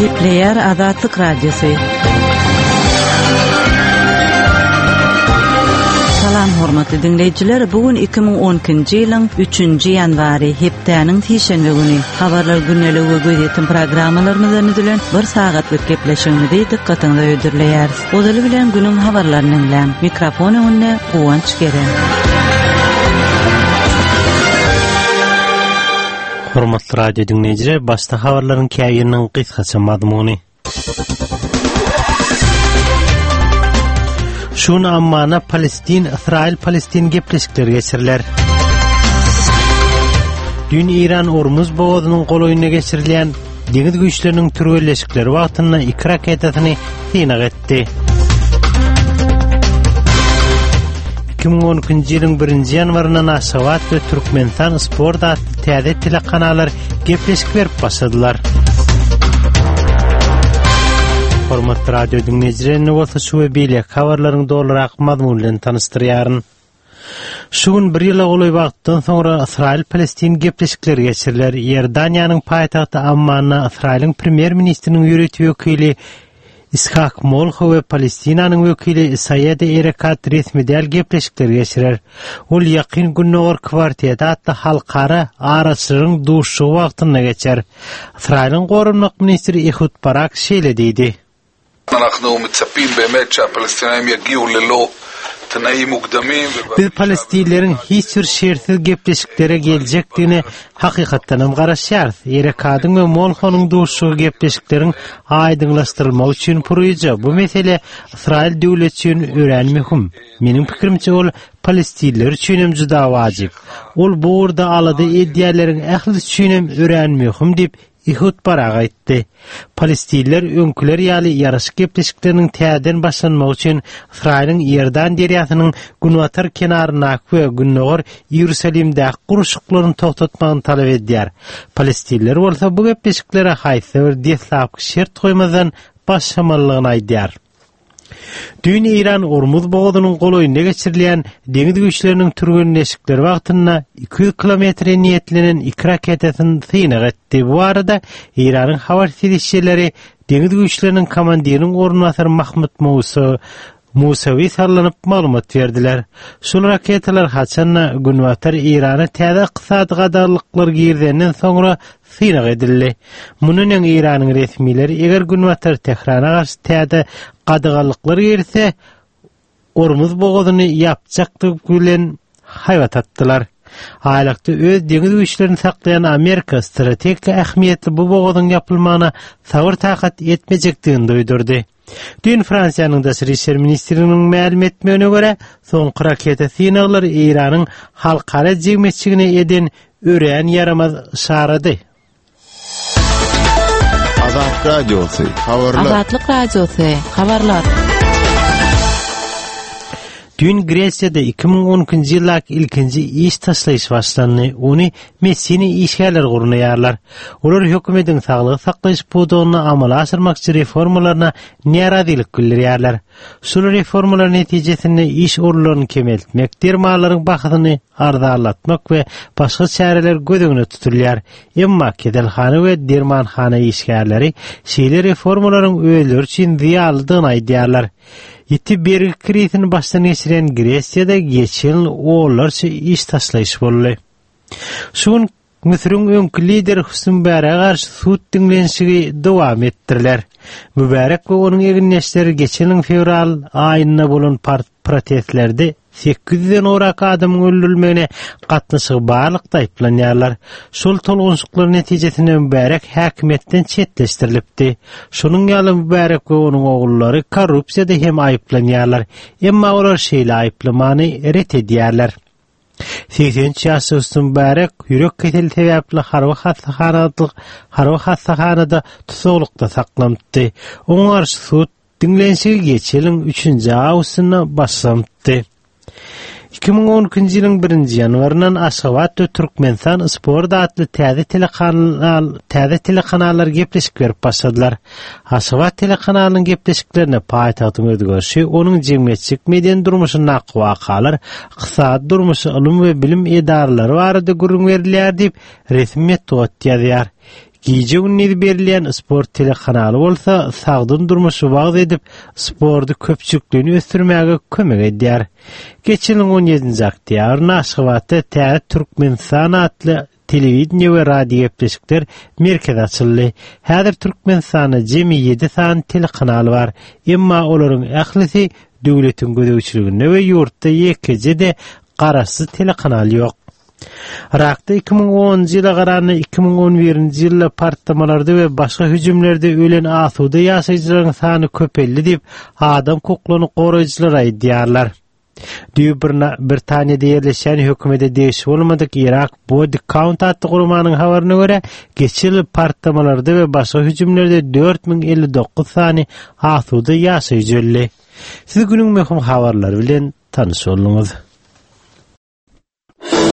Gepleýär Azatlyk Radiosy. Salam hormatly diňleýjiler, bu gün 2012-nji ýylyň 3-nji ýanwary, hepdäniň sişenbe güni. Habarlar gündeligi we gözýetim programmalarymyzdan düzülen bir sagatlyk gepleşigimizi dykgatyňyza hödürleýäris. Ozaly bilen günüň habarlaryny diňläň. Mikrofon öňünde Guwanç Geren. Hormatly radio diňleýjiler, başda habarlaryň käbiriniň gysgaça mazmuny. Şu gün Ammana Palestin, Ysraýyl-Palestin gepleşikleri geçiriler. Düýn Eýran Ormuz bogazynyň golaýynda geçirilýän deňiz güýçleriniň türgenleşikleri wagtynda iki raketasyny synag etdi. 2012-nji ýylyň 1-nji ýanwaryndan Aşgabat we Türkmenistan Sport atly täze telekanallar gepleşik berip başladylar. Hormatly radio diňleýjiler, indi bolsa şu we beýleki habarlaryň dolurak mazmuny bilen tanyşdyrýaryn. Şu gün bir ýyla golaý wagtdan soňra Ysraýyl-Palestin gepleşikleri geçiriler. Iordaniýanyň paýtagty Ammanda Ysraýylyň premýer-ministriniň ýörite wekili Ishak Molho we Palestinanyň wekili Saýed Erekat resmi däl gepleşikleri geçirer. Ol Ýakyn Gündogar kwarteti atly halkara araçylaryň duşuşygy wagtynda geçer. Ysraýylyň goranmak ministri Ehud Barak şeýle diýdi. Biz palestinleriň hiç bir şertsiz gepleşiklere geljekdigine hakykatdanam garaşýarys. Erekadyň we Molhonyň duşuşygy gepleşikleriň aýdyňlaşdyrylmagy üçin puryja. Bu mesele Ysraýyl döwleti üçin örän möhüm. Meniň pikirimçe ol palestinler üçinem juda wajyp. Ol bu ugurda alada edýänleriň ählisi üçinem örän möhüm diýip, Ehud Barak aýtdy. Palestinler öňküler ýaly ýaraşyk gepleşikleriniň täzeden başlanmagy üçin Ysraýylyň Iordan derýasynyň günbatar kenaryndaky we gündogar Iýerusalimdäki gurluşyklaryny togtatmagyny talap edýär. Palestinler bolsa bu gepleşiklere haýsyda bir deslapky şert goýmazdan başlamalydygyny aýdýar. Düýn Eýran Ormuz bogazynyň golaýynda geçirilýän deňiz güýçleriniň türgenleşikleri wagtynda 200 kilometre niýetlenen iki raketasyny synag etdi. Bu barada Eýranyň habar serişdeleri deňiz güýçleriniň komandiriniň orunbasary Mahmud Musa Musawi sallanyp maglumat berdiler. Şol raketalar haçanda Günbatar Eýrana täze ykdysady gadaganlyklar girizenden soňra synag edildi. Mundan öň Eýranyň resmileri eger Günbatar Tährana garşy täze gadaganlyklar girizse, Ormuz bogazyny ýapjakdygy bilen haýbat atdylar. Aýlakda öz deňiz güýçlerini saklaýan Amerika strategik ähmiýetli bu bogazyň ýapylmagyna sabyr-takat etmejekdigini duýdurdy. Düýn Fransiýanyň Daşary işler ministrliginiň mälim etmegine görä, soňky raketa synaglary Eýranyň halkara jemgyýetçiligine eden örän ýaramaz yşarady. Azat Radiosy, habarlar. Azatlyk Radiosy, habarlar. Düýn Gresiýada 2012-nji ýyldaky ilkinji iş taşlaýyş başlandy. Ony medisina işgärleri gurnaýarlar. Olar hökümetiň saglygy saklaýyş pudagynda amala aşyrmakçy reformalaryna närazylyk bildirýärler. Şol reformalar netijesinde iş orunlaryny kemeltmek, dermanlaryň bahasyny arzanlatmak we başga çäreler göz öňünde tutulýar. Emma keselhana we dermanhana işgärleri şeýle reformalaryň özleri üçin zyýanlydygyny aýdýarlar. Ýiti bergi krizisini başdan geçirýän Gresiýada geçen ýyl onlarça iş taşlaýyş boldy. Şu gün Müsüriň öňki lideri Husni Mübärege garşy sud diňlenişigi dowam etdiriler. Mübärek we onuň egindeşleri geçen ýylyň fewral aýynda bolan protestlerde 800-den gowrak adamyň öldürilmegine gatnaşygy barlykda aýyplanýarlar. Şol tolgunşyklar netijesinde Mübärek häkimiýetden çetleşdirilipdi. Şonuň ýaly Mübärek we onuň ogullary korrupsiýada hem aýyplanýarlar. Emma olar şeýle aýyplamany ret edýärler. 83 ýaşly Husni Mübärek ýürek keseli sebäpli harby hassahanadyk harby hassahanada tussaglykda saklanypdy. Oňa garşy sud diňlenişigi geçen ýylyň üçünji awgustynda başlanypdy. 2012-nji ýylyň birinji ýanwaryndan Aşgabat we Türkmenistan Sport atly täze telekanal täze telekanallar gepleşik berip başladylar. Aşgabat telekanalynyň gepleşiklerinde paýtagtyň özgerişi, onuň jemgyýetçilik-medeni durmuşyndaky wakalar, ykdysady durmuşy, ylym we bilim edaralary barada gürrüň berilýär diýip, resmi metbugat ýazýar. Gije-gündiz berilýän sport telekanaly bolsa sagdyn durmuşy wagyz edip, sporty köpçülikleýin ösdürmäge kömek edýär. Geçen ýylyň on ýedinji oktýabrynda Aşgabatda Täze Türkmenistan atly telewideniýe we radiogepleşikler merkezi açyldy. Häzir Türkmenistanda jemi ýedi sany telekanal bar. Emma olaryň ählisi döwletiň gözegçiliginde we ýurtda ýekeje-de garaşsyz telekanal ýok. Yrakda 2010-njy ýyla garanda 2011-nji ýylda partlamalarda we başga hüjümlerde ölen asuda ýaşaýjylaryň sany köpeldi diýip, adam hukuklaryny goraýjylar aýdýarlar. Düýbi Britaniýada ýerleşýän hökümete degişli bolmadyk Iraq Body Count atly guramanyň habaryna görä, geçen ýyl partlamalarda we başga hüjümlerde 4059 sany asuda ýaşaýjy öldi. Siz günüň möhüm habarlary bilen tanyş bolduňyz.